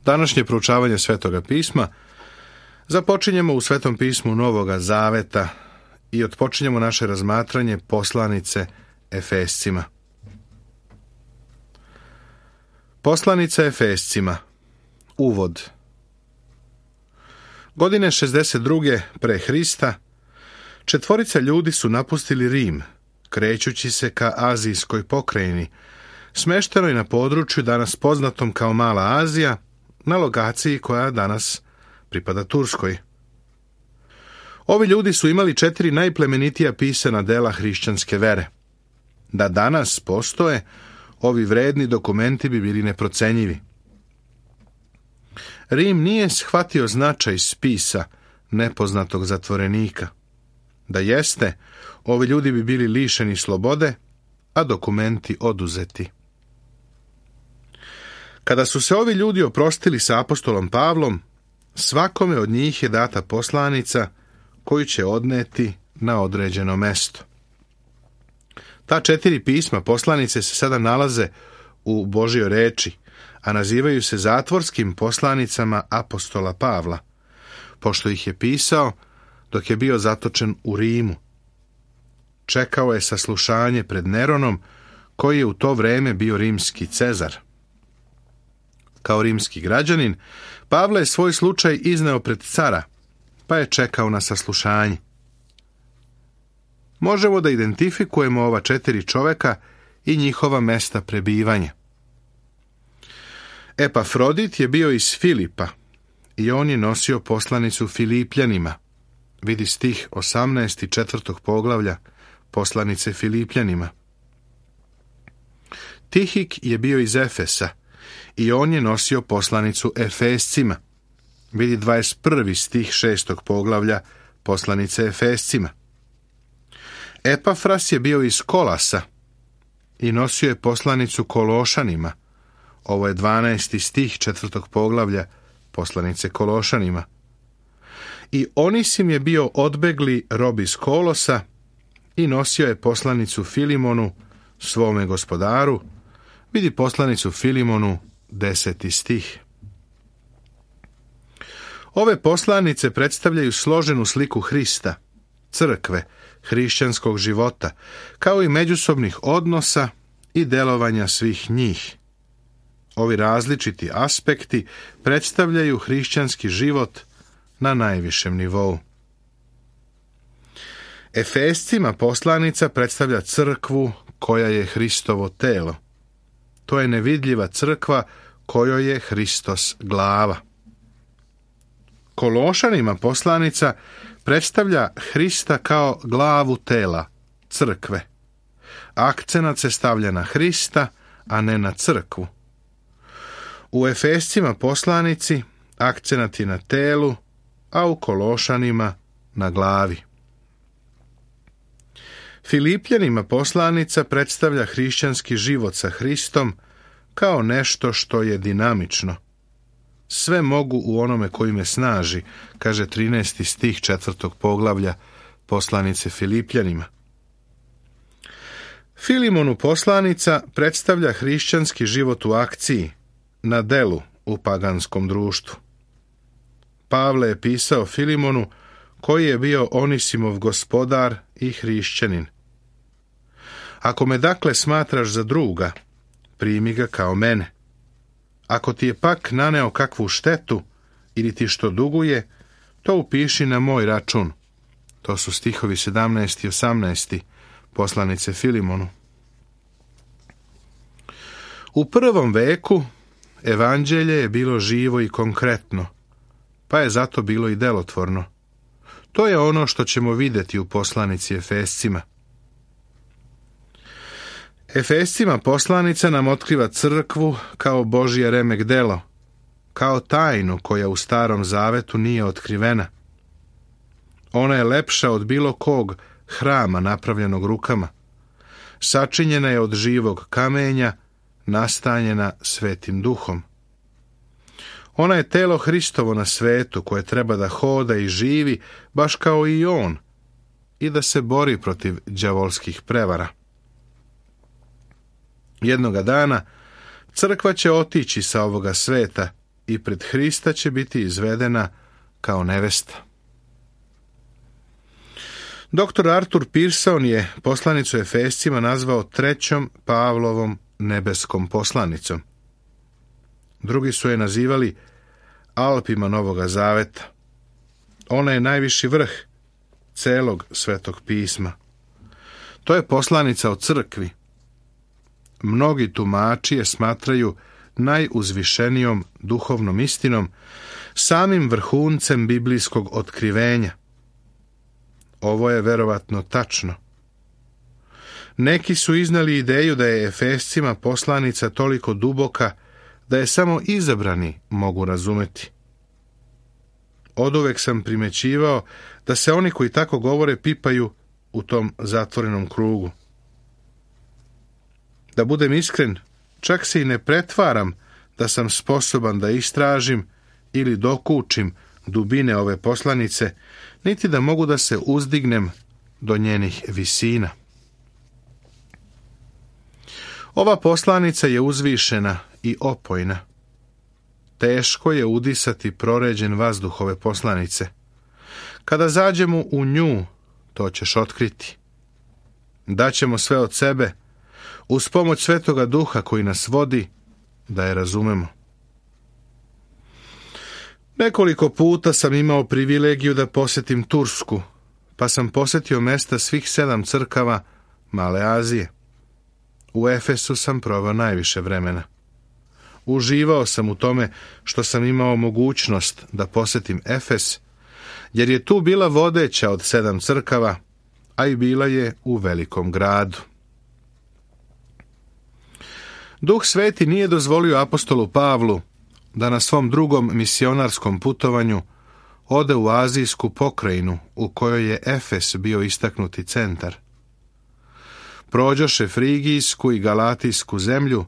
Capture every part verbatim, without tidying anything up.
Današnje proučavanje Svetoga pisma započinjemo u Svetom pismu Novoga Zaveta i otpočinjemo naše razmatranje poslanice Efescima. Poslanica Efescima. Uvod. Godine šezdeset druge pre Hrista četvorica ljudi su napustili Rim, krećući se ka Azijskoj pokrajini, smeštenoj na području danas poznatom kao Mala Azija, na lokaciji koja danas pripada Turskoj. Ovi ljudi su imali četiri najplemenitija pisana dela hrišćanske vere. Da danas postoje, ovi vredni dokumenti bi bili neprocenjivi. Rim nije shvatio značaj spisa nepoznatog zatvorenika. Da jeste, ovi ljudi bi bili lišeni slobode, a dokumenti oduzeti. Kada su se ovi ljudi oprostili sa apostolom Pavlom, svakome od njih je data poslanica koju će odneti na određeno mesto. Ta četiri pisma poslanice se sada nalaze u Božjoj reči, a nazivaju se zatvorskim poslanicama apostola Pavla, pošto ih je pisao dok je bio zatočen u Rimu. Čekao je saslušanje pred Neronom, koji je u to vreme bio rimski cezar. Kao rimski građanin, Pavle je svoj slučaj izneo pred cara, pa je čekao na saslušanje. Možemo da identifikujemo ova četiri čoveka i njihova mesta prebivanja. Epafrodit je bio iz Filipa i on je nosio poslanicu Filipljanima. Vidi stih osamnaest i četvrtog poglavlja poslanice Filipljanima. Tihik je bio iz Efesa i on je nosio poslanicu Efescima. Vidi dvadeset prvi stih šestog poglavlja poslanice Efescima. Epafras je bio iz Kolasa i nosio je poslanicu Kološanima. Ovo je dvanaesti stih četvrtog poglavlja poslanice Kološanima. I Onisim je bio odbegli rob iz Kolosa i nosio je poslanicu Filimonu, svome gospodaru. Vidi poslanicu Filimonu, deseti stih. Ove poslanice predstavljaju složenu sliku Hrista, crkve, hrišćanskog života, kao i međusobnih odnosa i delovanja svih njih. Ovi različiti aspekti predstavljaju hrišćanski život na najvišem nivou. Efescima poslanica predstavlja crkvu koja je Hristovo telo. To je nevidljiva crkva kojoj je Hristos glava. Kološanima poslanica predstavlja Hrista kao glavu tela, crkve. Akcenat se stavlja na Hrista, a ne na crkvu. U Efescima poslanici akcenat je na telu, a u Kološanima na glavi. Filipljanima poslanica predstavlja hrišćanski život sa Hristom kao nešto što je dinamično. Sve mogu u onome koji me snaži, kaže trinaesti stih četvrtog poglavlja poslanice Filipljanima. Filimonu poslanica predstavlja hrišćanski život u akciji, na delu u paganskom društvu. Pavle je pisao Filimonu, koji je bio Onisimov gospodar i hrišćanin. Ako me dakle smatraš za druga, primi ga kao mene. Ako ti je pak naneo kakvu štetu ili ti što duguje, to upiši na moj račun. To su stihovi sedamnaesti i osamnaesti poslanice Filimonu. U prvom veku evanđelje je bilo živo i konkretno, pa je zato bilo i delotvorno. To je ono što ćemo vidjeti u poslanici Efescima. Efescima poslanica nam otkriva crkvu kao Božje remek delo, kao tajnu koja u Starom Zavetu nije otkrivena. Ona je lepša od bilo kog hrama napravljenog rukama. Sačinjena je od živog kamenja, nastanjena Svetim Duhom. Ona je telo Hristovo na svetu koje treba da hoda i živi baš kao i on i da se bori protiv đavolskih prevara. Jednoga dana crkva će otići sa ovoga sveta i pred Hrista će biti izvedena kao nevesta. doktor Arthur Pearson je poslanicu Efescima nazvao trećom Pavlovom nebeskom poslanicom. Drugi su je nazivali Alpima Novoga Zaveta. Ona je najviši vrh celog Svetog pisma. To je poslanica o crkvi. Mnogi tumači je smatraju najuzvišenijom duhovnom istinom, samim vrhuncem biblijskog otkrivenja. Ovo je verovatno tačno. Neki su iznali ideju da je Efescima poslanica toliko duboka da je samo izabrani mogu razumeti. Oduvek sam primećivao da se oni koji tako govore pipaju u tom zatvorenom krugu. Da budem iskren, čak se i ne pretvaram da sam sposoban da istražim ili dokučim dubine ove poslanice, niti da mogu da se uzdignem do njenih visina. Ova poslanica je uzvišena i opojna. Teško je udisati proređen vazduh ove poslanice. Kada zađemo u nju, to ćeš otkriti. Daćemo sve od sebe, uz pomoć Svetoga Duha koji nas vodi, da je razumemo. Nekoliko puta sam imao privilegiju da posjetim Tursku, pa sam posjetio mesta svih sedam crkava Male Azije. U Efesu sam proveo najviše vremena. Uživao sam u tome što sam imao mogućnost da posjetim Efes, jer je tu bila vodeća od sedam crkava, a i bila je u velikom gradu. Duh Sveti nije dozvolio apostolu Pavlu da na svom drugom misionarskom putovanju ode u azijsku pokrajinu u kojoj je Efes bio istaknuti centar. Prođoše Frigijsku i Galatijsku zemlju,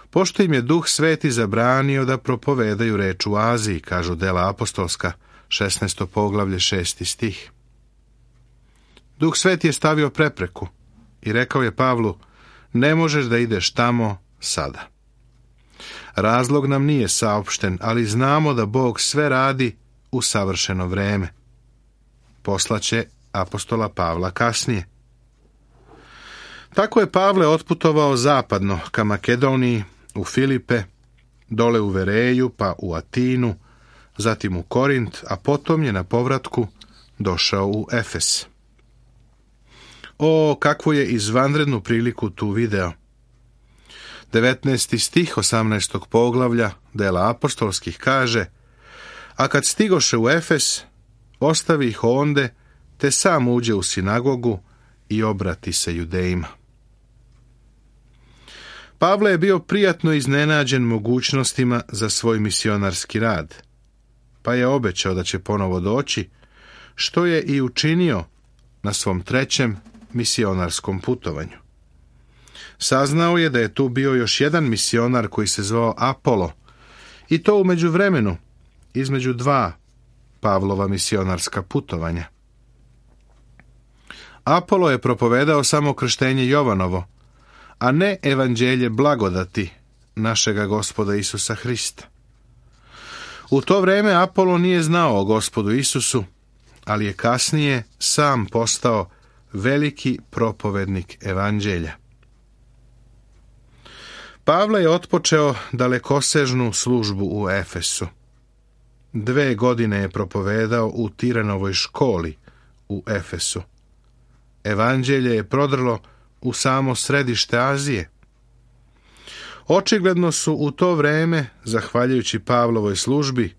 pošto im je Duh Sveti zabranio da propovedaju reč u Aziji, kažu Dela apostolska, šesnaesto poglavlje, šesti stih. Duh Sveti je stavio prepreku i rekao je Pavlu, ne možeš da ideš tamo sada. Razlog nam nije saopšten, ali znamo da Bog sve radi u savršeno vreme. Poslaće apostola Pavla kasnije. Tako je Pavle otputovao zapadno ka Makedoniji, u Filipe, dole u Vereju, pa u Atinu, zatim u Korint, a potom je na povratku došao u Efes. O, kakvu je izvanrednu priliku tu video! devetnaesti stih osamnaestog poglavlja Dela apostolskih kaže: a kad stigoše u Efes, ostavi ih onde, te sam uđe u sinagogu i obrati se Judejima. Pavle je bio prijatno iznenađen mogućnostima za svoj misionarski rad, pa je obećao da će ponovo doći, što je i učinio na svom trećem misionarskom putovanju. Saznao je da je tu bio još jedan misionar koji se zvao Apolo, i to u međuvremenu, između dva Pavlova misionarska putovanja. Apolo je propovedao samo krštenje Jovanovo, a ne evanđelje blagodati našega Gospoda Isusa Hrista. U to vreme Apolo nije znao o Gospodu Isusu, ali je kasnije sam postao veliki propovednik evanđelja. Pavle je otpočeo dalekosežnu službu u Efesu. Dve godine je propovedao u Tiranovoj školi u Efesu. Evanđelje je prodrlo u samo središte Azije. Očigledno su u to vreme, zahvaljujući Pavlovoj službi,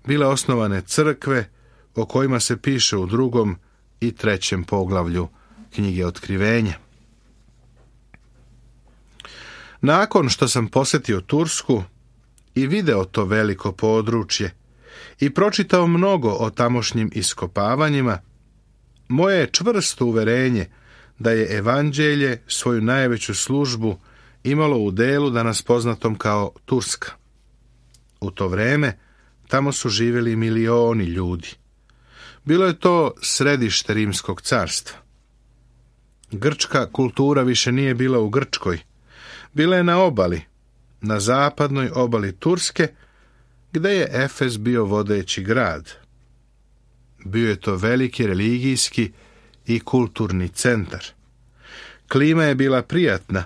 bile osnovane crkve o kojima se piše u drugom i trećem poglavlju knjige Otkrivenja. Nakon što sam posjetio Tursku i video to veliko područje i pročitao mnogo o tamošnjim iskopavanjima, moje je čvrsto uverenje da je evanđelje svoju najveću službu imalo u delu danas poznatom kao Turska. U to vreme tamo su živjeli milioni ljudi. Bilo je to središte Rimskog carstva. Grčka kultura više nije bila u Grčkoj. Bila je na obali, na zapadnoj obali Turske, gde je Efes bio vodeći grad. Bio je to veliki religijski i kulturni centar. Klima je bila prijatna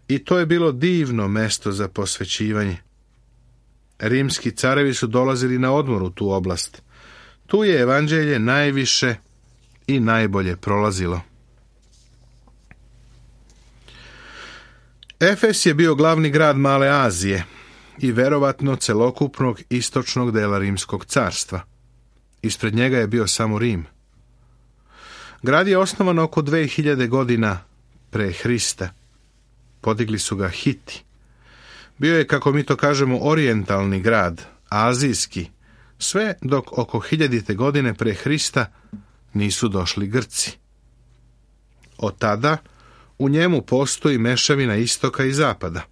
i to je bilo divno mesto za posvećivanje. Rimski carevi su dolazili na odmor u tu oblast. Tu je evanđelje najviše i najbolje prolazilo. Efes je bio glavni grad Male Azije i verovatno celokupnog istočnog dela Rimskog carstva. Ispred njega je bio samo Rim. Grad je osnovan oko dve hiljade godina pre Hrista. Podigli su ga Hiti. Bio je, kako mi to kažemo, orijentalni grad, azijski, sve dok oko hiljadite godine pre Hrista nisu došli Grci. Od tada u njemu postoji mešavina istoka i zapada.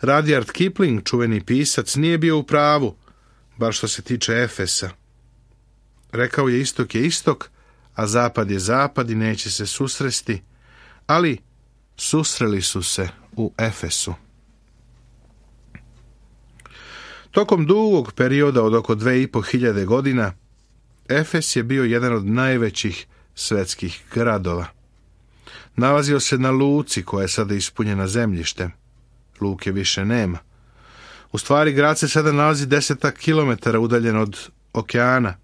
Rudyard Kipling, čuveni pisac, nije bio u pravu, bar što se tiče Efesa. Rekao je istok je istok, a zapad je zapad i neće se susresti, ali susreli su se u Efesu. Tokom dugog perioda od oko dve i po hiljade godina, Efes je bio jedan od najvećih svetskih gradova. Nalazio se na luci koja je sada ispunjena zemljištem. Luke više nema. U stvari, grad se sada nalazi desetak kilometara udaljen od okeana.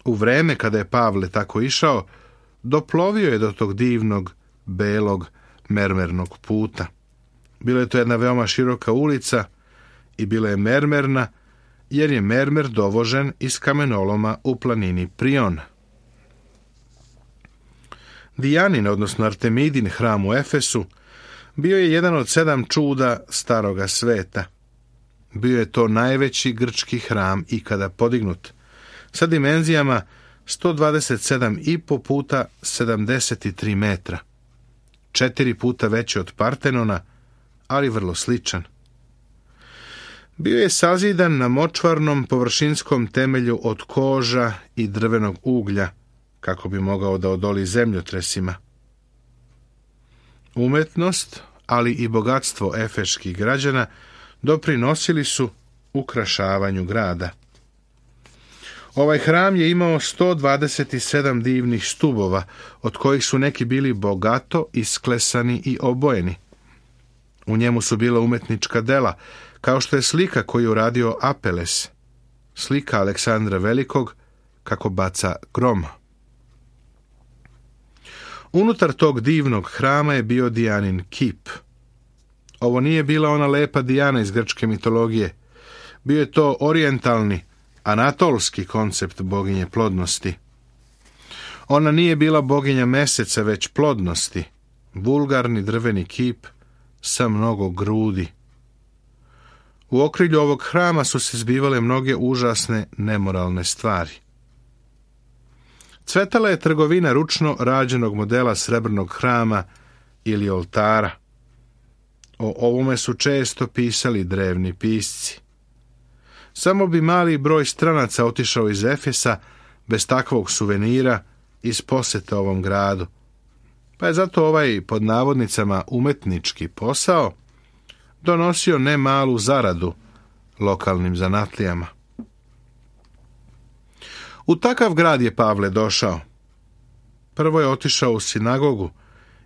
U vreme kada je Pavle tako išao, doplovio je do tog divnog, belog, mermernog puta. Bila je to jedna veoma široka ulica i bila je mermerna, jer je mermer dovožen iz kamenoloma u planini Prion. Dijanin, odnosno Artemidin hram u Efesu, bio je jedan od sedam čuda staroga sveta. Bio je to najveći grčki hram ikada podignut, sa dimenzijama sto dvadeset sedam i po puta sedamdeset tri metra. Četiri puta veći od Partenona, ali vrlo sličan. Bio je sazidan na močvarnom površinskom temelju od koža i drvenog uglja, kako bi mogao da odoli zemljotresima. Umetnost, ali i bogatstvo efeških građana doprinosili su ukrašavanju grada. Ovaj hram je imao sto dvadeset sedam divnih stubova, od kojih su neki bili bogato isklesani i obojeni. U njemu su bila umetnička dela, kao što je slika koju je uradio Apeles, slika Aleksandra Velikog kako baca grom. Unutar tog divnog hrama je bio Dijanin kip. Ovo nije bila ona lepa Dijana iz grčke mitologije. Bio je to orijentalni, anatolski koncept boginje plodnosti. Ona nije bila boginja meseca, već plodnosti, vulgarni drveni kip sa mnogo grudi. U okrilju ovog hrama su se zbivale mnoge užasne, nemoralne stvari. Cvetala je trgovina ručno rađenog modela srebrnog hrama ili oltara. O ovome su često pisali drevni pisci. Samo bi mali broj stranaca otišao iz Efesa bez takvog suvenira iz posete ovom gradu. Pa je zato ovaj, pod navodnicama, umetnički posao donosio ne malu zaradu lokalnim zanatlijama. U takav grad je Pavle došao. Prvo je otišao u sinagogu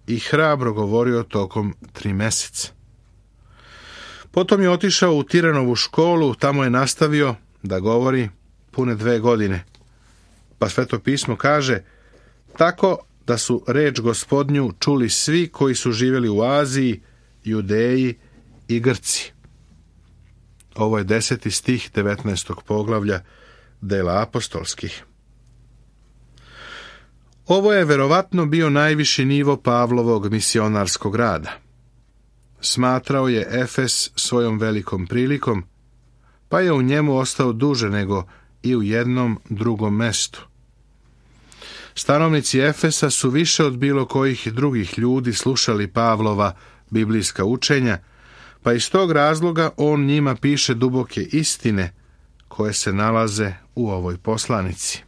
i hrabro govorio tokom tri meseca. Potom je otišao u Tiranovu školu, tamo je nastavio da govori pune dve godine. Pa Sveto pismo kaže, tako da su reč Gospodnju čuli svi koji su živjeli u Aziji, Judeji i Grci. Ovo je deseti stih devetnaestog poglavlja dela apostolskih. Ovo je verovatno bio najviši nivo Pavlovog misionarskog rada. Smatrao je Efes svojom velikom prilikom, pa je u njemu ostao duže nego i u jednom drugom mestu. Stanovnici Efesa su više od bilo kojih drugih ljudi slušali Pavlova biblijska učenja, pa iz tog razloga on njima piše duboke istine koje se nalaze u ovoj poslanici.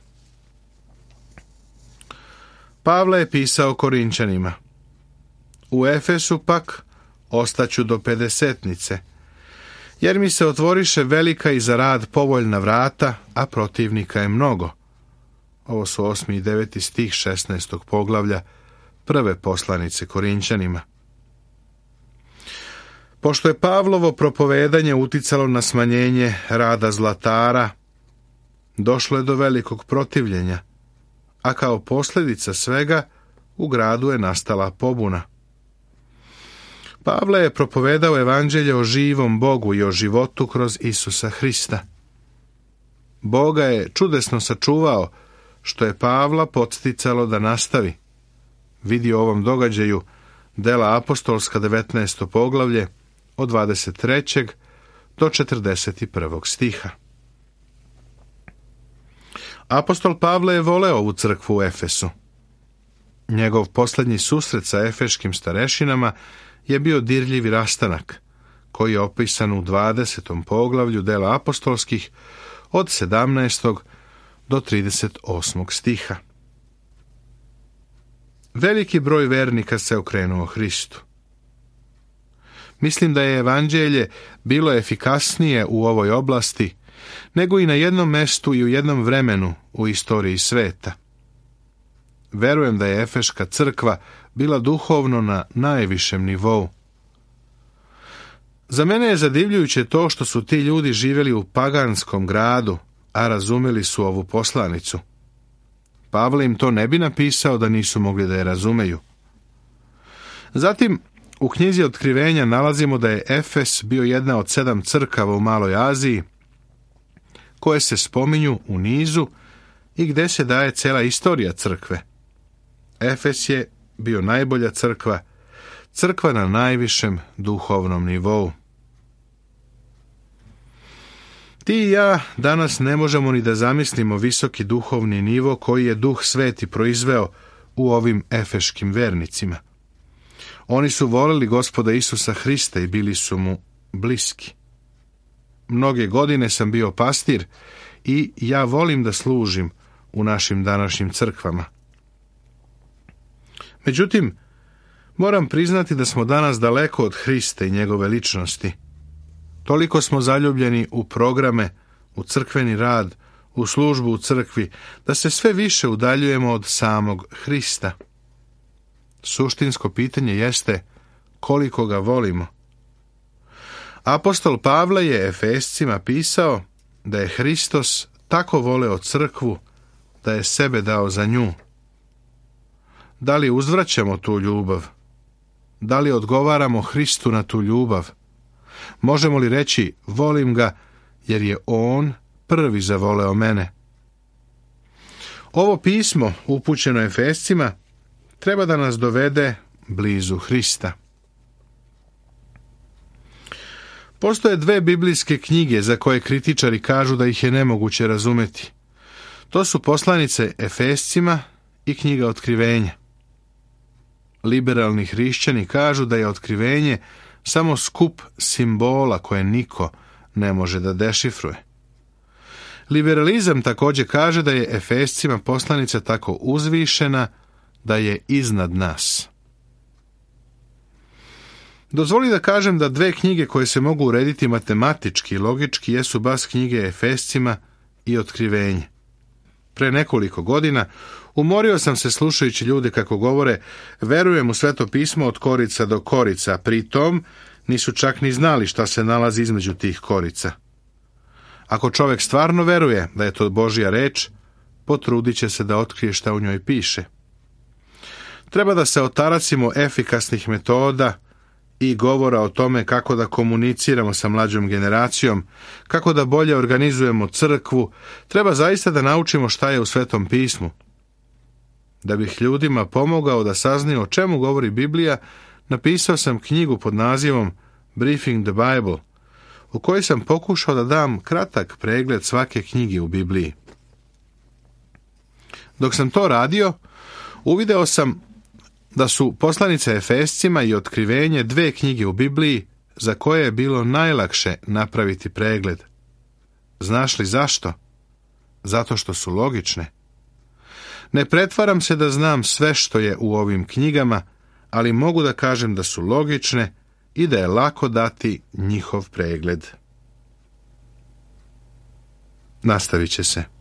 Pavle je pisao Korinčanima. U Efesu pak ostaću do pedesetnice, jer mi se otvoriše velika i za rad povoljna vrata, a protivnika je mnogo. Ovo su osmi i deveti stih šesnaestog poglavlja prve poslanice Korinćanima. Pošto je Pavlovo propovedanje uticalo na smanjenje rada zlatara, došlo je do velikog protivljenja, a kao posljedica svega u gradu je nastala pobuna. Pavle je propovedao evanđelje o živom Bogu i o životu kroz Isusa Hrista. Boga je čudesno sačuvao, što je Pavla podsticalo da nastavi. Vidi u ovom događaju Dela apostolska devetnaesto poglavlje od dvadeset trećeg do četrdeset prvog stiha. Apostol Pavle je voleo ovu crkvu u Efesu. Njegov posljednji susret sa efeškim starešinama je bio dirljivi rastanak, koji je opisan u dvadesetom poglavlju Dela apostolskih od sedamnaestog do trideset osmog stiha. Veliki broj vernika se okrenuo Hristu. Mislim da je evanđelje bilo efikasnije u ovoj oblasti nego i na jednom mestu i u jednom vremenu u istoriji sveta. Verujem da je Efeška crkva bila duhovno na najvišem nivou. Za mene je zadivljujuće to što su ti ljudi živjeli u paganskom gradu, a razumjeli su ovu poslanicu. Pavle im to ne bi napisao da nisu mogli da je razumeju. Zatim, u knjizi Otkrivenja nalazimo da je Efes bio jedna od sedam crkava u Maloj Aziji, koje se spominju u nizu i gdje se daje cela istorija crkve. Efes je bio najbolja crkva, crkva na najvišem duhovnom nivou. Ti i ja danas ne možemo ni da zamislimo visoki duhovni nivo koji je Duh Sveti proizveo u ovim efeškim vernicima. Oni su volili Gospoda Isusa Hrista i bili su mu bliski. Mnoge godine sam bio pastir i ja volim da služim u našim današnjim crkvama. Međutim, moram priznati da smo danas daleko od Hrista i njegove ličnosti. Toliko smo zaljubljeni u programe, u crkveni rad, u službu u crkvi, da se sve više udaljujemo od samog Hrista. Suštinsko pitanje jeste koliko ga volimo. Apostol Pavle je Efescima pisao da je Hristos tako voleo crkvu da je sebe dao za nju. Da li uzvraćamo tu ljubav? Da li odgovaramo Hristu na tu ljubav? Možemo li reći volim ga jer je on prvi zavoleo mene? Ovo pismo upućeno Efescima treba da nas dovede blizu Hrista. Postoje dve biblijske knjige za koje kritičari kažu da ih je nemoguće razumeti. To su poslanice Efescima i knjiga Otkrivenja. Liberalni hrišćani kažu da je Otkrivenje samo skup simbola koje niko ne može da dešifruje. Liberalizam također kaže da je Efescima poslanica tako uzvišena da je iznad nas. Dozvoli da kažem da dve knjige koje se mogu urediti matematički i logički jesu bas knjige Efescima i Otkrivenje. Pre nekoliko godina umorio sam se slušajući ljude kako govore verujem u Sveto pismo od korica do korica, pri tom nisu čak ni znali šta se nalazi između tih korica. Ako čovjek stvarno veruje da je to Božja reč, potrudit će se da otkrije šta u njoj piše. Treba da se otaracimo efikasnih metoda i govora o tome kako da komuniciramo sa mlađom generacijom, kako da bolje organizujemo crkvu. Treba zaista da naučimo šta je u Svetom pismu. Da bih ljudima pomogao da saznaju o čemu govori Biblija, napisao sam knjigu pod nazivom Briefing the Bible, u kojoj sam pokušao da dam kratak pregled svake knjige u Bibliji. Dok sam to radio, uvideo sam da su poslanice Efescima i Otkrivenje dve knjige u Bibliji za koje je bilo najlakše napraviti pregled. Znaš li zašto? Zato što su logične. Ne pretvaram se da znam sve što je u ovim knjigama, ali mogu da kažem da su logične i da je lako dati njihov pregled. nastavit će se.